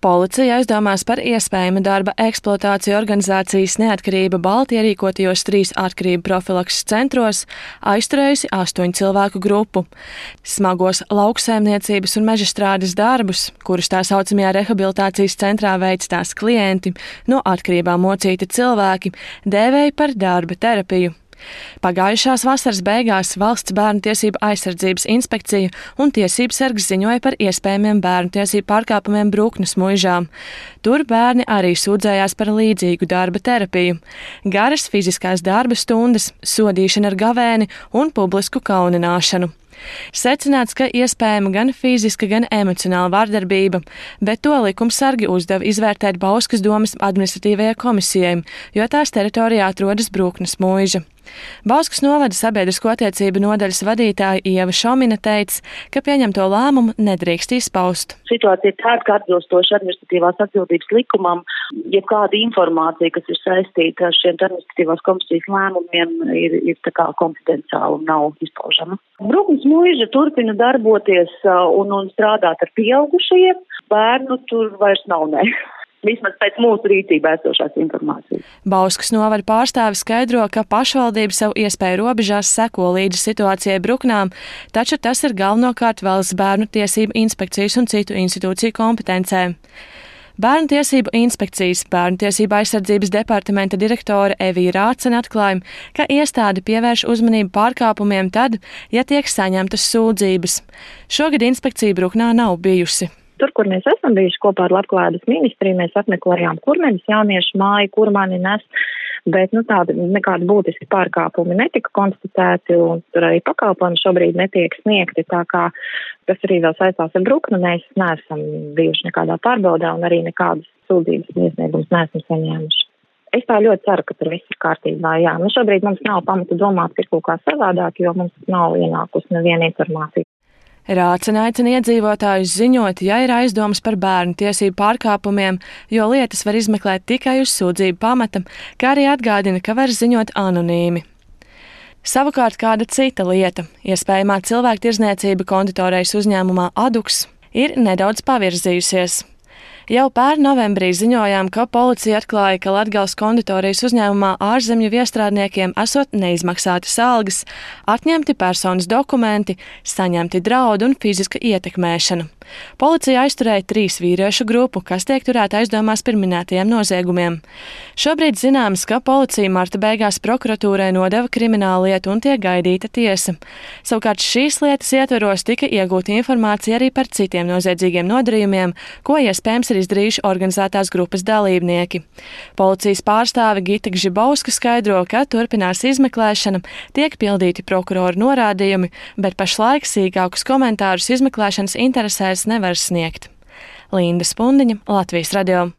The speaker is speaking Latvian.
Policija aizdomās par iespējamu darba eksploatāciju organizācijas Neatkarība Balti ierīkotajos 3 atkarību profilakses centros aizturējusi 8 cilvēku grupu. Smagos lauksaimniecības un mežastrādes darbus, kurus tā saucamajā rehabilitācijas centrā veic tās klienti, no atkarībām mocīti cilvēki, dēvēja par darba terapiju. Pagājušās vasaras beigās Valsts bērnu tiesību aizsardzības inspekcija un tiesības sargs ziņoja par iespējamiem bērnu tiesību pārkāpumiem Bruknes muižā. Tur bērni arī sūdzējās par līdzīgu darba terapiju. Garas fiziskās darba stundas, sodīšana ar gavēni un publisku kaunināšanu. Secināts, ka iespējama gan fiziska, gan emocionāla vardarbība, bet to likumsargi uzdeva izvērtēt Bauskas domas administratīvajai komisijai, jo tās teritorijā atrodas Bruknes muiža. Bauskas novada sabiedrisko attiecību nodaļas vadītāja Ieva Šomina teica, ka pieņemto lēmumu nedrīkst izpaust. Situācija ir tāda, ka atbilstoši administratīvās atbildības likumam, jebkāda informācija, kas ir saistīta ar šiem administratīvās komisijas lēmumiem, ir tā kā konfidenciāla un nav izpaužama. Bruknes muiža turpina darboties un strādāt ar pieaugušajiem. Bērnu tur vairs nav, ne. Vismaz pēc mūsu rīcībā esošās informācijas. Bauskas novada pārstāvis skaidro, ka pašvaldība savu iespēju robežās seko līdzi situācijai Bruknām, taču tas ir galvenokārt Valsts bērnu tiesību inspekcijas un citu institūciju kompetencē. Bērnu tiesību inspekcijas Bērnu tiesību aizsardzības departamenta direktore Evija Rācene atklāja, ka iestāde pievērš uzmanību pārkāpumiem tad, ja tiek saņemtas sūdzības. Šogad inspekcija Bruknā nav bijusi. Tur, kur mēs esam bijuši kopā ar Labklājības ministriju, mēs apmeklējām Kurmenes jauniešu māju, kur mani nes, bet tādi nekādi būtiski pārkāpumi netika konstatēti un tur arī pakalpojumi šobrīd netiek sniegti, tā kā tas arī vēl saistās ar Bruknu, mēs neesam bijuši nekādā pārbaudā un arī nekādas sūdzības iesniegumus neesam saņēmuši. Es tā ļoti ceru, ka tur viss ir kārtībā, jā. Šobrīd mums nav pamata domāt, ka ir kaut kā savādāk, jo mums nav ienākusi neviena informācija. Rācene aicina iedzīvotājus ziņot, ja ir aizdomas par bērnu tiesību pārkāpumiem, jo lietas var izmeklēt tikai uz sūdzību pamata, kā arī atgādina, ka var ziņot anonīmi. Savukārt kāda cita lieta, iespējamā cilvēktirdzniecība konditorejas uzņēmumā Aduks, ir nedaudz pavirzījusies. Jau pērn novembrī ziņojām, ka policija atklāja, ka Latgales konditorijas uzņēmumā ārzemju viestrādniekiem esot neizmaksātas algas, atņemti personas dokumenti, saņemti draudi un fiziska ietekmēšana. Policija aizturēja 3 vīriešu grupu, kas tiek turēta aizdomās par minētajiem noziegumiem. Šobrīd zināms, ka policija marta beigās prokuratūrai nodeva krimināllietu un tiek gaidīta tiesa. Savukārt šīs lietas ietveros tika iegūta informācija arī par citiem noziedzīgiem nodarījumiem, ko iespējams ir izdarījuši organizētās grupas dalībnieki. Policijas pārstāve Gita Gžibauska skaidro, ka turpinās izmeklēšana, tiek pildīti prokuroru norādījumi, bet pašlaik sīkākus komentārus izmeklēšanas interesēs nevar sniegt. Linda Spundiņa, Latvijas radio.